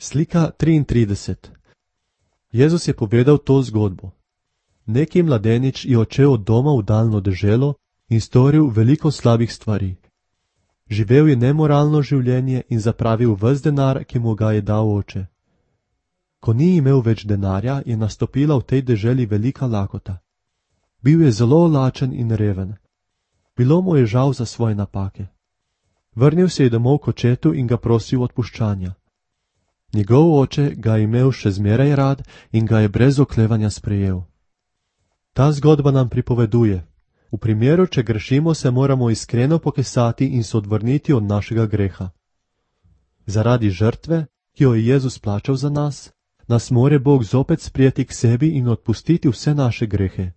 Slika 33. Jezus je povedal to zgodbo. Neki mladenič je odšel od doma v daljno deželo in storil veliko slabih stvari. Živel je nemoralno življenje in zapravil ves denar, ki mu ga je dal oče. Ko ni imel več denarja, je nastopila v tej deželi velika lakota. Bil je zelo lačen in reven. Bilo mu je žal za svoje napake. Vrnil se je domov k očetu in ga prosil odpuščanja. Njegov oče ga je imel še zmeraj rad in ga je brez oklevanja sprejel. Ta zgodba nam pripoveduje: v primeru, če grešimo, se moramo iskreno pokesati in se odvrniti od našega greha. Zaradi žrtve, ki jo je Jezus plačal za nas, nas more Bog zopet sprijeti k sebi in odpustiti vse naše grehe.